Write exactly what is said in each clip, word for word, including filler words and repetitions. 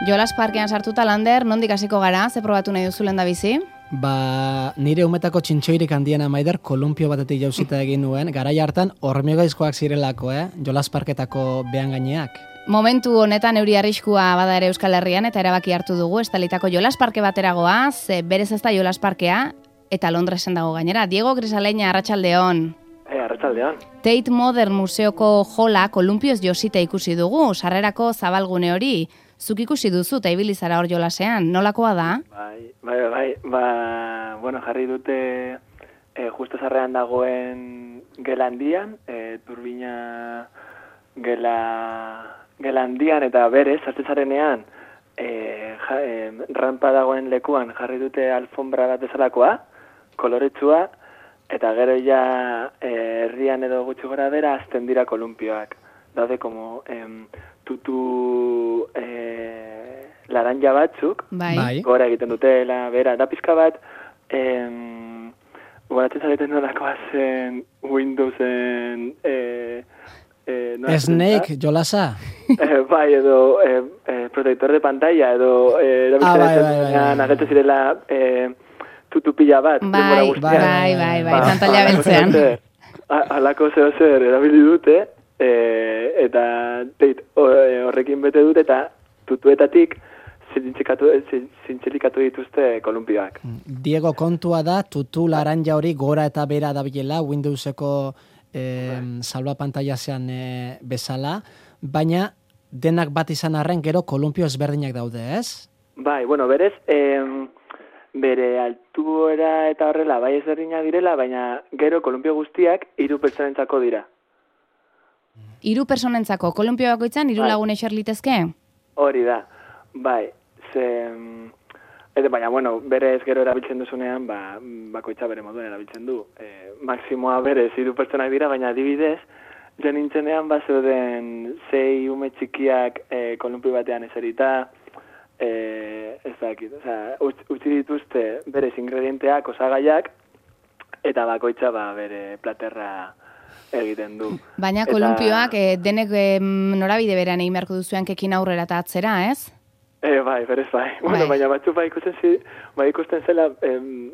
Jolas Parkean sartuta, Lander, nondik hasiko gara, ze probatu nahi duzu lehendabizi? Ba, nire umetako txintxoirik handiena maider, kolumpio batetik jauzita egin nuen, garai hartan hormigaizkoak zirelako, eh? Jolas Parketako behan gaineak. Momentu honetan euri arriskua bada ere Euskal Herrian eta erabaki hartu dugu estalitako Jolas Parke bateragoa, ze berez ez da Jolas Parkea, eta Londresen dago gainera. Diego Grisaleña, arratsaldeon. Eh, arratsaldeon. Tate Modern Museoko jola kolumpioz josita ikusi dugu, sarrerako zabalgune hori. Zuk ikusi duzu eta ibili zara hor jolasean, nolakoa da? Bai, bai, bai, ba, bueno, jarri dute eh, justo sarrean dagoen gela handian, eh, turbina gela, gela handian eta berez, sartzen zarenean, eh, ja, eh, rampa dagoen lekuan jarri dute alfombra bat bezalakoa, koloretsua, eta gero ja eh, herrian edo gutxi gora bera azten dira kolumpioak. Daude como em, tutu eh, laranja batzuk, bai. Gora egiten dutela, bera, da pizka bat, em, goratzen zareten nolakoa zen Windowsen eh, eh, no, Snake, jolasa? Eh, bai, edo eh, eh, protector de pantalla, edo eh, ah, bai, bai, bai, bai. agertu zirela eh, tutupila bat. Bai, bai, bai, bai, bai, pantalla beltzean. Halako zeo zer erabili dute, e, eta teit, horrekin bete dute, eta tutuetatik zintzilikatu dituzte kolumpioak. Diego, kontua da, tutu laranja hori gora eta bera dabilela, Windowseko eh, salba pantailazean eh, bezala, baina denak bat izan arren gero kolumpio ezberdinak daude, ez? Bai, bueno, berez, eh, bere altuera eta horrela bai ezberdinak direla, baina gero kolumpio guztiak hiru pertsonentzako dira. Hiru pertsonentzako, kolumpio bakoitzan hiru bai. Lagun eser litezke? Hori da, bai, ze... Eta baina, bueno, berez gero erabiltzen duzunean, ba, bakoitza bere moduen erabiltzen du. E, maksimoa berez hiru pertsonak dira, baina adibidez, jo nintzenean bazeuden sei ume txikiak e, kolumpio batean eserita, Eh, ez dakit, o sea, utzi dituzte berez ingredienteak, osagaiak, eta bakoitza ba, bere platerra egiten du. Baina eta... kolumpioak eh, denek eh, norabide berean egin beharko duzuan kekin aurrera eta atzera, ez? Eh, bai, berez bai. bai. Bueno, baina batzuk bai ikusten, zi, bai ikusten zela, em,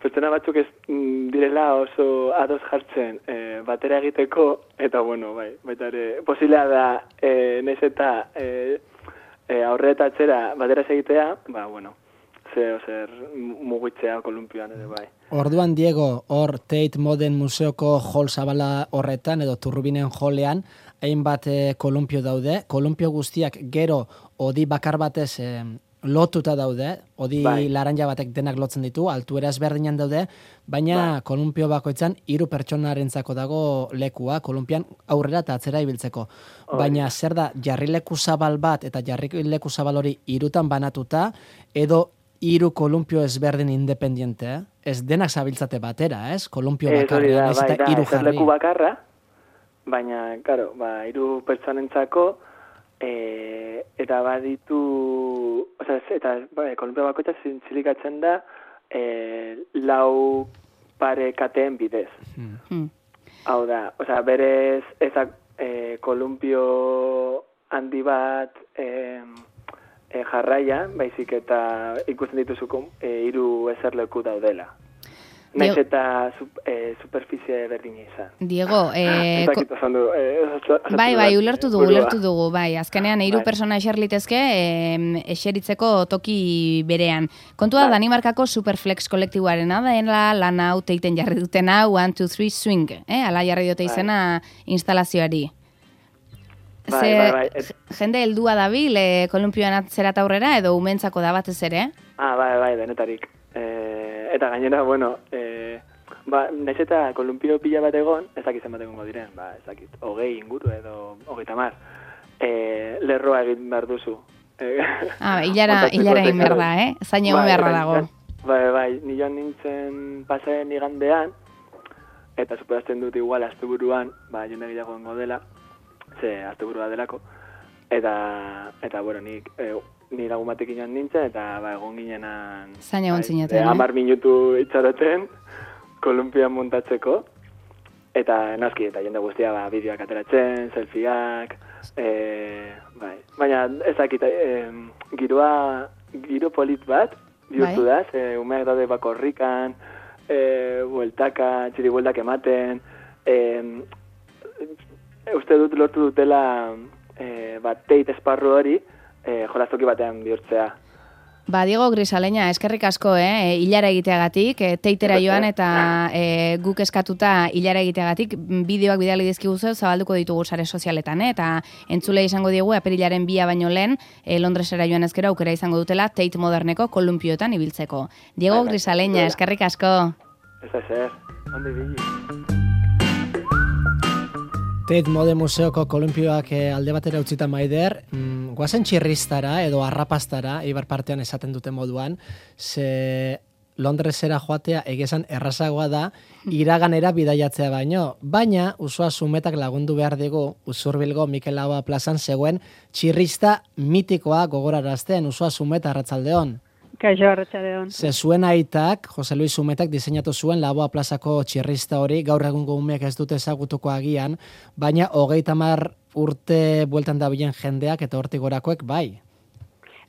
pertsona batzuk ez mm, direla oso ados jartzen eh, batera egiteko, eta bueno, bai, baita ere, posiblea da, eh, nez eta... Eh, E, aurre eta atzera batera egitea, ba, bueno, zeo zer mugitzea kolumpioan ere bai. Orduan, Diego, hor Tate Modern Museoko hol zabala horretan, edo turbinen jolean, hainbat e, kolumpio daude. Kolumpio guztiak gero odi bakar batez e, lotuta daude, odi bai. Laranja batek denak lotzen ditu, altuera ezberdinan daude, baina bai. Kolumpio bakoitzan hiru pertsonarentzako dago lekua, kolumpian aurrera eta atzera ibiltzeko. Oh, baina zer da, jarrileku zabal bat eta jarrileku zabal hori hirutan banatuta, edo hiru kolumpio ezberdin independiente, eh? Ez denak zabiltzate batera, ez? Kolumpio bakarra, ez eta hiru jarri. Leku bakarra, baina, karo, ba, hiru pertsonentzako, E, eta baditu, oza, eta ba, kolumpio bakoitza zintzilikatzen da e, lau pare kateen bidez. Hmm. Hau da, oza, berez eta e, kolumpio handi bat e, e, jarraia, baizik eta ikusten dituzu e, hiru eserleku daudela. Naiz eta sup, eh, superficie berdina izan. Diego, eh, ko... du, eh, bai, bai, ulertu dugu, ulertu dugu, bai, azkenean hiru bai. Persona eser litezke eh, eseritzeko toki berean. Kontua bai. Danimarkako Superflex kolektiboarena da, lan hau teiten jarri dutena, one, two, three, swing, eh? Ala jarri dute izena bai. Instalazioari. Bai, Ze, bai, bai. Et... Jende heldua dabil, eh, kolumpioan atzerata aurrera, edo umentzako da batez ere? Ah, bai, bai, denetarik. Eh, eta gainera, bueno, eh, ba, naiz eta kolumpio pila bat egon, ez dakit zenbat egongo diren, ba, ez dakit, hogei inguru edo hogeita mar, eh, lerroa egin behar duzu. Eh, ah, hilara, hilara egin behar da, eh? Zain egon beharra dago. Bai, bai, nioan nintzen pasaren igandean, eta superazten dut igual asteburuan, ba, jende gehiago gongo dela, ze asteburua delako, eta, eta bueno, nik... Eh, ni lagun batek inan nintzen, eta ba, egon ginenan... Zain egon zineten, eh? Amar minutu itxaroten, kolumpian montatzeko, eta naski, eta jende guztia ba, bideoak ateratzen, selfieak, E, bai. Baina ez dakit, e, giroa, giro polit bat, bihurtu da, ze umeak daude bakorrikan, e, bueltaka, txiri bueltak ematen, e, uste dut lortu dutela e, bat teit esparru hori e, jolaztoki batean bihurtzea. Ba, Diego Grisaleña, eskerrik asko, eh, hilara egiteagatik, eh, teitera joan eta eh, guk eskatuta hilara egiteagatik, bideoak bidali dizkiguzu zabalduko ditugu sare sozialetan, eh, eta entzule izango diegu apirilaren bia baino lehen, eh, Londresera joan ezkero aukera izango dutela Tate Moderneko kolumpioetan ibiltzeko. Diego Grisaleña, eskerrik asko. Ez da zer, ondi bili. Tate Modern Museoko kolumpioak alde batera utzita Maider, mm, guazen txirristara edo arrapastara, Eibar partean esaten duten moduan, ze Londresera joatea egezan errazagoa da, iraganera bidaiatzea baino, baina Usua Zumetak lagundu behar digu Usurbilgo Mikel Laboa plazan zegoen txirrista mitikoa gogorarazten. Usua Zumeta, arratsaldeon. Kaixo, arratsaldeon. Ze zuen aitak, Jose Luis Zumetak diseinatu zuen Laboa plazako txirrista hori, gaur egungo umeek ez dute ezagutuko agian, baina hogeita hamar urte bueltan dabilen jendeak eta hortik gorakoek bai.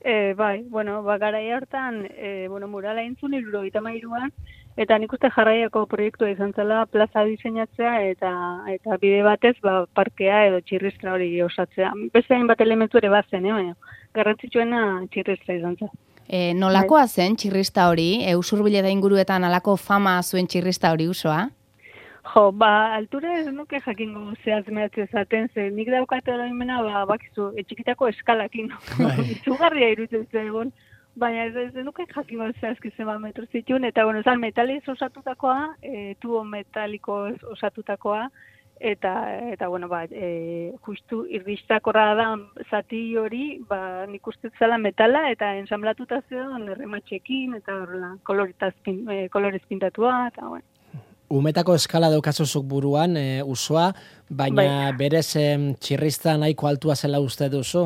E, bai, bueno, ba, garai hartan, e, bueno, murala entzun hirurogeita hamairuan, eta nik uste jarraiako proiektua izan zela plaza diseinatzea eta eta bide batez ba, parkea edo txirristra hori osatzea. Beste hainbat elementu ere bazen, eh, baina garrantzitsuena txirristra izan zen. E, nolakoa zen txirrista hori? E, Usurbile da inguruetan alako fama zuen txirrista hori Usoa? Jo, ba, altura ez nuke jakingo zehaz mehatze zaten, ze nik daukate oroimena, ba, bakizu, etxikitako eskalakin, izugarria irutzen zegoen, baina ez, ez nuke jakingo zehazki zema metro zituen, eta, bueno, zan, metaliz osatutakoa, e, tubo metaliko osatutakoa, eta, eta bueno, ba, e, justu irristakorra da zati hori, ba, nik uste zela metala, eta ensamblatuta zegoen errematxekin, eta horrela, e, kolorez pintatua, eta, bueno. Umetako eskala daukazuzuk buruan, e, Usoa, baina bai. Berez em, txirrista nahiko altua zela uste duzu?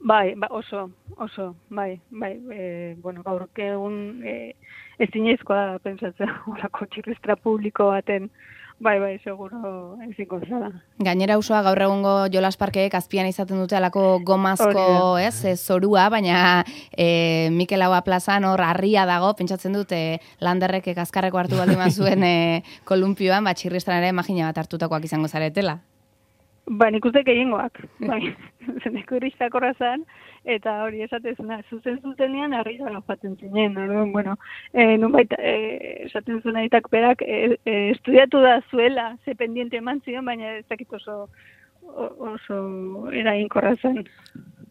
Bai, ba, oso, oso, bai, bai, e, bueno, gaur egun e, ez zinezkoa pentsatzea horako txirristra publiko baten, bai, bai, seguro ezingo zara. Gainera Usoa gaur egungo jolas parkeek azpian izaten dute alako gomazko, ez, e, zorua, baina e, Mikel Laboa plazan hor harria dago, pentsatzen dute landerrek azkarreko hartu baldin mazuen e, kolumpioan, bat txirristan ere imagina bat hartutakoak izango zaretela. Ba, nik uste gehiengoak, bai, zeneko iristakorra zen, eta hori esatezuna, zuzen zuzenean harrira gafatzen zinen, no? Bueno, e, nunbait, e, esaten zuen aitak berak, e, e, estudiatu da zuela, ze pendiente eman zion, baina ez dakit oso, oso eraginkorra zen.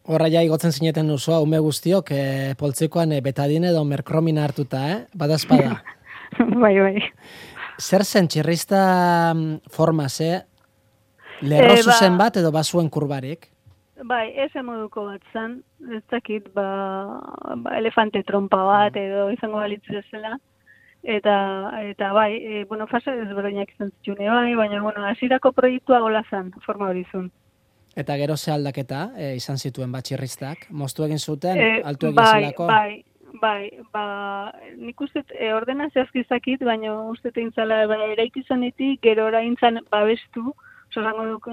Horra ja igotzen zineten Usoa, ume guztiok, e, poltsikoan e, betadine edo merkromina hartuta, eh? Badazpada. Bai, bai. Zer zen txirrista forma, ze? Lerro e, zuzen ba, bat edo bazuen kurbarik? Bai, ese moduko bat zen, ez dakit, ba, ba, elefante trompa bat edo izango balitz zela, eta, eta bai, e, bueno, fase ezberdinak izan zitune bai, baina, bueno, hasierako proiektua gola zen, forma hori zuen. Eta gero ze aldaketa e, izan zituen bat txirristak? Moztu egin zuten, e, altu egin bai, zelako? Bai, bai, ba, nik uste e, ordena zehazkizakit, baina uste eintzala, baina eraiki zanetik, gero oraintzan babestu, zorango duk,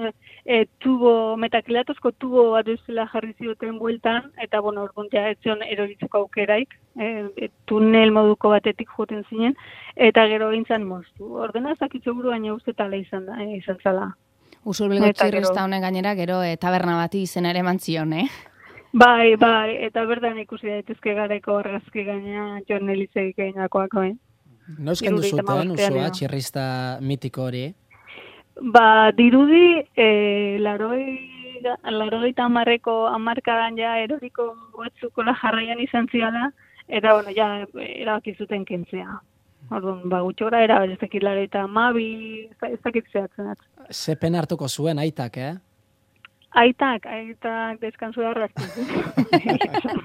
e, tubo, metakilatozko tubo bat duzela jarri zioten bueltan, eta, bueno, orguntia ez zion eroritzeko aukeraik, e, tunel moduko batetik joten zinen, eta gero gintzen moztu. Ordena zakitzu buru, baina uste tala izan da, e, izan zala. Usurbilgo txirrista honen gainera, gero e, taberna bati izen ere mantzion, eh? Bai, bai, eta berdan ikusi daitezke gareko argazki gaina Jon Elizegik eginakoak, bai. Noizken duzuten, Usoa, txirrista mitiko hori? Ba, dirudi, e, laroi, laroi eta amarreko amarkadan ja eroriko batzukola jarraian izan ziala, eta, bueno, ja, erabakizuten kentzea. Orduan, ba, gutxora era, ez dakit laroi eta amabi, ez dakit zehatzen. Ze pena hartuko zuen aitak, eh? Aitak, aitak deskansu darrazten.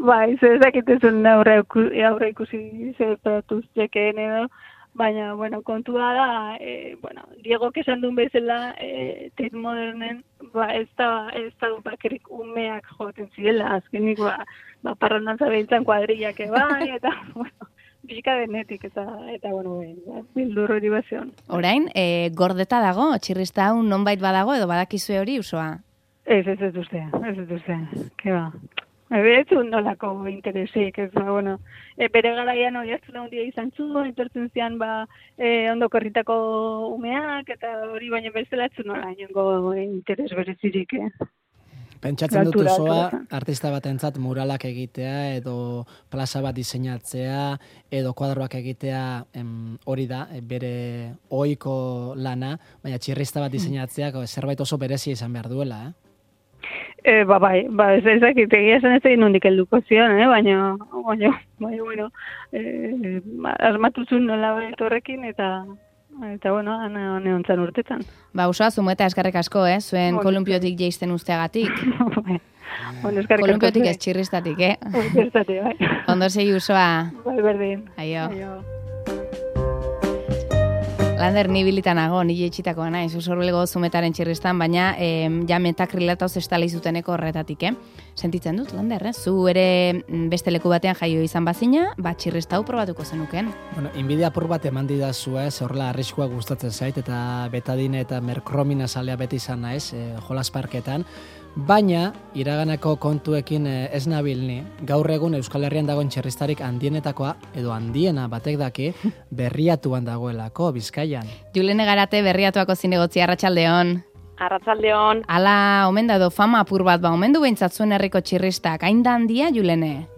Bai, ez dakitezun aurre ikusi zeratuz jekeen edo, baina, bueno, kontua da, e, bueno, Diego esan duen bezala, e, Tate Modernen, ba, ez da, ez da bakerik umeak joten zirela, azkenik, ba, ba parrandan zabeiltzen kuadrillak ebai, eta, bueno, pixka denetik, eta, eta bueno, bildur hori bazion. Orain, e, gordeta dago, txirrista hau nonbait badago, edo badakizue hori, Usoa? Ez, ez ez duzte, ez ez duzte, ke ba. Ez un nolako interesik, ez ba, bueno, e, bere garaian hori hartzen handia izan zuen, etortzen zian, ba, e, ondo korritako umeak, eta hori baina bezalatzen nola, inongo interes berezirik, eh? Pentsatzen dut Usoa, artista batentzat muralak egitea, edo plaza bat diseinatzea, edo kuadroak egitea, em, hori da, bere ohiko lana, baina txirrista bat diseinatzeak zerbait oso berezia izan behar duela, eh? E, ba, bai, ba, ez ezakit, egia esan ez egin nondik helduko zion, eh? baina, baina, baina, bueno, e, asmatuzun nola horrekin, eta, eta, bueno, ane hontzan urtetan. Ba, Usoa, zumueta eskarrik asko, eh? Zuen bon, kolumpiotik jeisten usteagatik. Bon, eskarrik kolumpiotik ez txirristatik, eh? Txirristatik, bai. Ondo segi, Usoa. Bai, berdin. Aio. Aio. Lander, ni bilitanago, ni jetxitakoa naiz, usorbelego zumetaren txirristan, baina eh, ja metakrilatoz estala izuteneko horretatik, eh? Sentitzen dut, Lander, eh? Zu ere beste leku batean jaio izan bazina, bat txirrista hau probatuko zenuken. Bueno, inbidia apur bat eman didazu ez, horrela arriskua gustatzen zait, eta betadine eta merkromina salea beti izan naiz, eh, jolas parketan, baina iraganeko kontuekin eh, ez nabil ni. Gaur egun Euskal Herrian dagoen txirristarik handienetakoa, edo handiena batek daki, Berriatuan dagoelako, Bizkaian. Julene Garate, Berriatuako zinegotzi, arratsaldeon. Arratsaldeon. Ala, omen da edo fama apur bat, ba, omen du behintzat zuen herriko txirristak, hain da handia, Julene?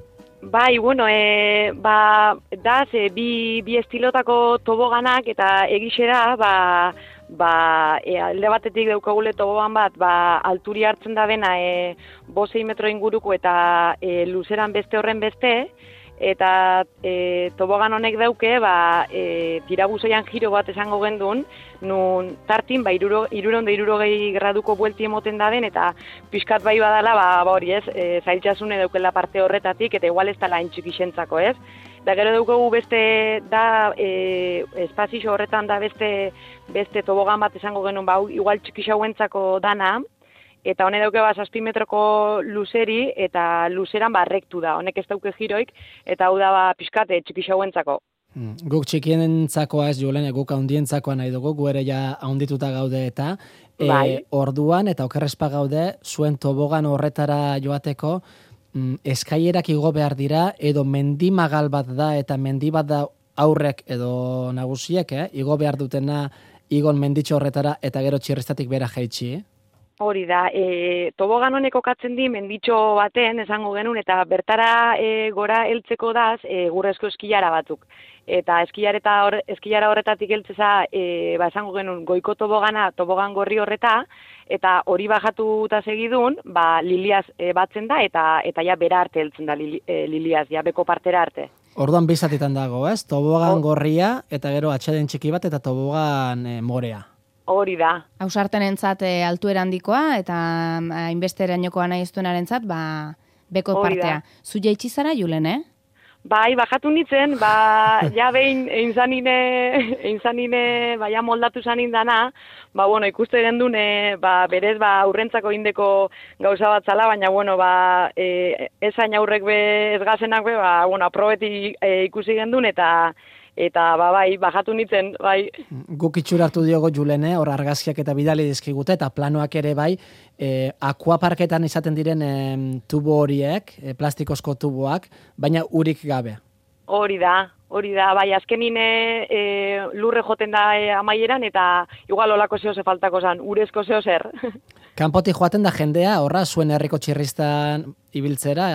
Bai, bueno, e, ba, da, ze, bi, bi estilotako toboganak, eta egixera, ba, ba, e, alde batetik daukagule tobogan bat, ba, alturi hartzen da bena, e, bosei metro inguruko eta e, luzeran beste horren beste, eta e, tobogan honek dauke, ba, e, tirabuzoian giro bat esango gendun, nun tartin, ba, iruro, iruronde irurogei graduko buelti emoten da den, eta pixkat bai badala, ba, ba hori ez, e, zailtxasune daukela parte horretatik, eta igual ez tala intxik isentzako, ez? Da gero daukagu beste, da, e, espazio horretan da beste, beste tobogan bat esango genuen, ba, igual txikixauentzako dana, eta honek dauke ba, zazpi metroko luzeri, eta luzeran ba, rektu da, honek ez dauke giroik, eta hau da ba, pixkate txikixauentzako. Hmm. Guk txikienentzakoa ez, Julene, guk haundientzakoa nahi dugu, gu ere ja haundituta gaude eta, e, bai. Orduan, eta okerrespa gaude, zuen tobogan horretara joateko, mm, eskaierak igo behar dira, edo mendimagal bat da, eta mendi bat da aurrek edo nagusiek, eh? Igo behar dutena, igon menditxo horretara, eta gero txirristatik bera jaitsi, eh? Hori da, e, tobogan honek okatzen di menditxo baten, esango genuen, eta bertara e, gora heltzeko daz e, gurrezko eskilara batzuk. Eta eskilara, hor, eskilara horretatik heltzeza, e, ba, esango genuen, goiko tobogana, tobogan gorri horreta, eta hori bajatu eta segidun, ba, liliaz e, batzen da, eta eta ja bera arte heltzen da li, e, liliaz, ja beko partera arte. Orduan bizatitan dago, ez? Tobogan gorria, eta gero atxeden txiki bat, eta tobogan e, morea. Hori da. Hausarten entzat e, altuera handikoa, eta hainbesterainokoa nahi eztuenaren zat, ba, beko Hori partea. da. Zu jaitxizara, Julen, eh? Bai, bajatu nintzen, ba, ja behin einzanine, einzanine, baina moldatu zanin dana, ba, bueno, ikuste gendun, e, ba, berez, ba, aurrentzako indeko gauza bat zala, baina, bueno, ba, e, ezain aurrek be, ez gazenak be, ba, bueno, aprobeti e, ikusi gendun, eta, eta, ba, bai, bajatu nintzen, bai. Guk itxura hartu diogo, Julene, hor argazkiak eta bidali dizkigute, eta planoak ere bai, e, akuaparketan izaten diren e, tubo horiek, e, plastikozko tuboak, baina urik gabe. Hori da, hori da, bai, azkenin e, lurre joten da e, amaieran, eta igual olako zeo ze faltako zan, urezko zeo zer. Kanpotik joaten da jendea, horra, zuen herriko txirristan ibiltzera?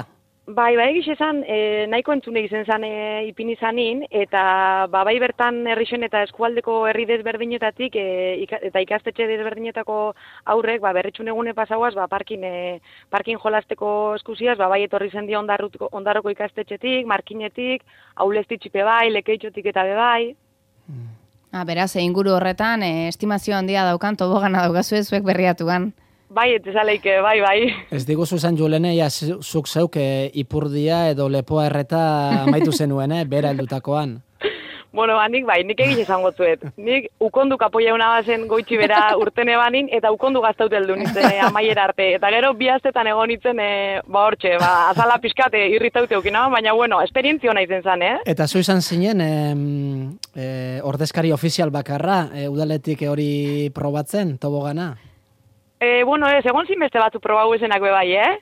Bai, bai egiz esan, e, nahiko entzune izen zan e, ipini zanin, eta ba, bai bertan herrixen eta eskualdeko herri desberdinetatik e, ika, eta ikastetxe desberdinetako aurrek, ba, berritxun egune pasauaz, ba, parkin, e, parkin jolasteko eskusiaz, ba, bai etorri zen dia ondarroko ikastetxetik, markinetik, aulestitxipe bai, lekeitxotik eta be bai. Hmm. Ah, beraz, inguru horretan, e, estimazio handia daukan, tobogana daukazue zuek Berriatuan. Bai, etezaleike, bai, bai. Ez diguzu zan, Julene, ja, zuk zeuk e, ipurdia edo lepoa erreta amaitu zenuen, eh, bera heldutakoan. Bueno, ba, nik bai, nik egiz esango zuet. Nik ukondu kapoia una bazen goitxi bera urtene banin, eta ukondu gaztauteldu nintzen e, amaiera arte. Eta gero bi astetan egon nintzen, e, ba hortxe, ba, azala pixkate irritaute okina, baina bueno, esperientzio nahi zen zan, eh? Eta zu izan zinen, e, e, ordezkari ofizial bakarra, e, udaletik hori probatzen, tobogana? E, bueno, ez, egon zinbeste batzu probau esenak be bai, eh?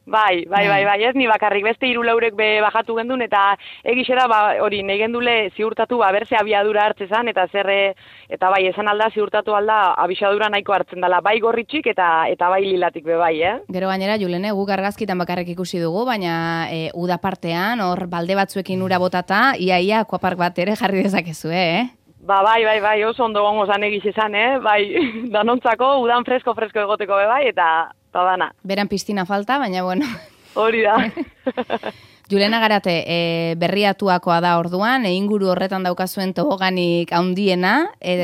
Bai, bai, bai, bai, ez, ni bakarrik beste hiru laurek be bajatu gendun, eta egixera, ba, hori, nahi gendule ziurtatu, ba, berze abiadura hartzezan, eta zerre, eta bai, esan alda, ziurtatu alda, abiadura nahiko hartzen dela, bai gorritxik, eta eta bai lilatik be bai, eh? Gero gainera, Julene, guk argazkitan bakarrik ikusi dugu, baina e, uda partean, hor balde batzuekin ura botata, iaia akuapark bat ere jarri dezakezu, eh? Ba, bai, bai, bai, oso ondo gongo zan egiz esan, eh? Bai, danontzako, udan fresko-fresko egoteko be bai, eta... Eta dana. Beran piztina falta, baina bueno. Hori da. Julena Garate, e, berriatuakoa da orduan, e, inguru horretan daukazuen toboganik haundiena, e,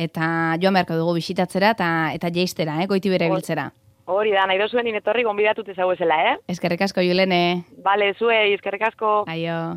eta joan beharko dugu bisitatzera eta eta jeistera, eh, goiti bere biltzera. Hori da, nahi dozuen inetorri gonbidatut ezaguezela, eh? Eskerrik asko, Julene. Bale, zuei, eskerrik asko. Aio.